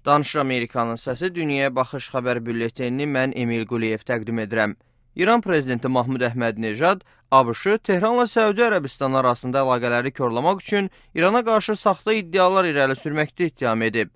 Danışır Amerikanın səsi Dünyaya Baxış xəbər bülletenini mən Emil Quliyev təqdim edirəm. İran prezidenti Mahmud Əhmədinejad ABŞ-ı Tehranla Səudi Ərəbistan arasında əlaqələri korlamaq üçün İrana qarşı saxta iddialar irəli sürməkdə ittiham edib.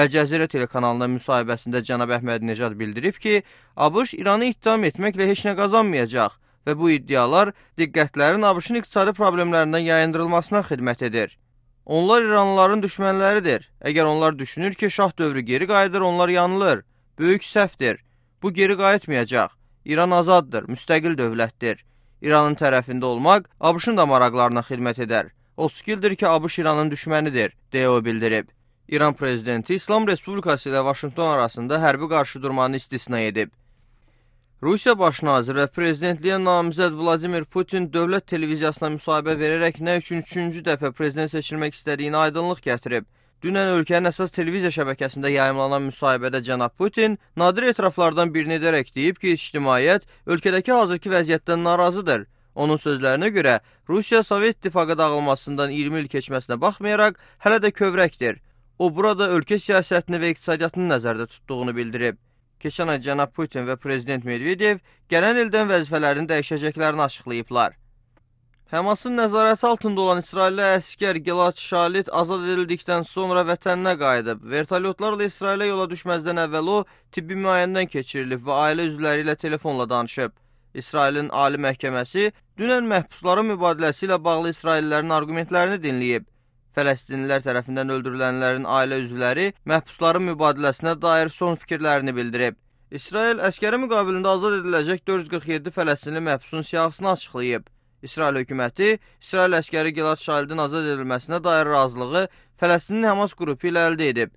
Əl-Cəzirə telekanalına müsahibəsində cənab Əhmədinejad bildirib ki, ABŞ İranı ittiham etməklə heç nə qazanmayacaq və bu iddialar diqqətlərin ABŞ-ın iqtisadi problemlərindən yayındırılmasına xidmət edir. Onlar İranlıların düşmənləridir. Əgər onlar düşünür ki, şah dövrü geri qayıdır, onlar yanılır. Böyük səhvdir. Bu geri qayıtmayacaq. İran azaddır, müstəqil dövlətdir. İranın tərəfində olmaq ABŞ-ın da maraqlarına xidmət edər. 30 ildir ki, ABŞ İranın düşmənidir, deyə o bildirib. İran prezidenti İslam Respublikası ilə Vaşinqton arasında hərbi qarşıdurmanı istisna edib. Rusiya baş naziri və prezidentliyə namizəd Vladimir Putin dövlət televiziyasına müsahibə verərək nə üçün 3-cü dəfə prezident seçilmək istədiyini aydınlıq gətirib. Dünən ölkənin əsas televiziya şəbəkəsində yayımlanan müsahibədə cənab Putin nadir etiraflardan birini edərək deyib ki, ictimaiyyət ölkədəki hazırki vəziyyətdən narazıdır. Onun sözlərinə görə Rusiya Sovet İttifaqı dağılmasından 20 il keçməsinə baxmayaraq hələ də kövrəkdir. O burada ölkə siyasətini və iqtisadiyyatını nəzərdə tutduğunu bildirib. Keçən ay cənab Putin və prezident Medvedev gələn ildən vəzifələrini dəyişəcəklərini açıqlayıblar. Həmasın nəzarəti altında olan İsrailli əskər Gilad Shalit azad edildikdən sonra vətəninə qayıdıb. Vertolyotlarla İsrailə yola düşməzdən əvvəl o tibbi müayinədən keçirilib və ailə üzvləri ilə telefonla danışıb. İsrailin Ali Məhkəməsi dünən məhbusların mübadiləsi ilə bağlı İsraillilərin argumentlərini dinləyib. Fələstinlilər tərəfindən öldürülənlərin ailə üzvləri məhbusların mübadiləsinə dair son fikirlərini bildirib. İsrail əskəri müqabilində azad ediləcək 447 fələstinli məhbusun siyahısını açıqlayıb. İsrail hökuməti İsrail əskəri Gilad Şalidin azad edilməsinə dair razılığı Fələstinin Həmas qrupu ilə əldə edib.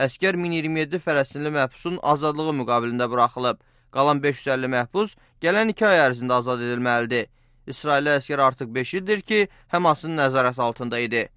Əskər 1027 fələstinli məhbusun azadlığı müqabilində buraxılıb. Qalan 550 məhbus gələn 2 ay ərzində azad edilməlidir. İsrailli əskər artıq 5 ildir ki, Həmasın nəzarət altında idi.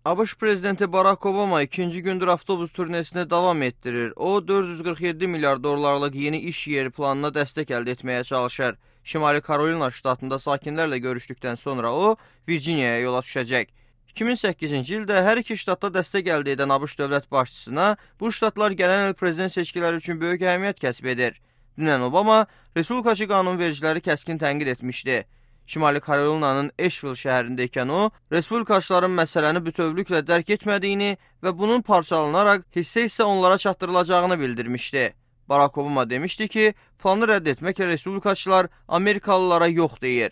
ABŞ prezidenti Barack Obama ikinci gündür avtobus turnesini davam etdirir. O, 447 milyar dollarlıq yeni iş yeri planına dəstək əldə etməyə çalışır. Şimali Karolina ştatında sakinlərlə görüşdükdən sonra o, Virginiyaya yola düşəcək. 2008-ci ildə hər iki ştatda dəstək əldə edən ABŞ dövlət başçısına bu ştatlar gələn il prezident seçkiləri üçün böyük əhəmiyyət kəsb edir. Dünən Obama, Respublikaçı qanunvericiləri kəskin tənqid etmişdi. Şimali Karolinanın Asheville şəhərindəykən o, respublikaçıların məsələni bütövlüklə dərk etmədiyini və bunun parçalanaraq hissə onlara çatdırılacağını bildirmişdi. Barack Obama demişdi ki, planı rədd etməklə respublikaçılar Amerikalılara yox deyir.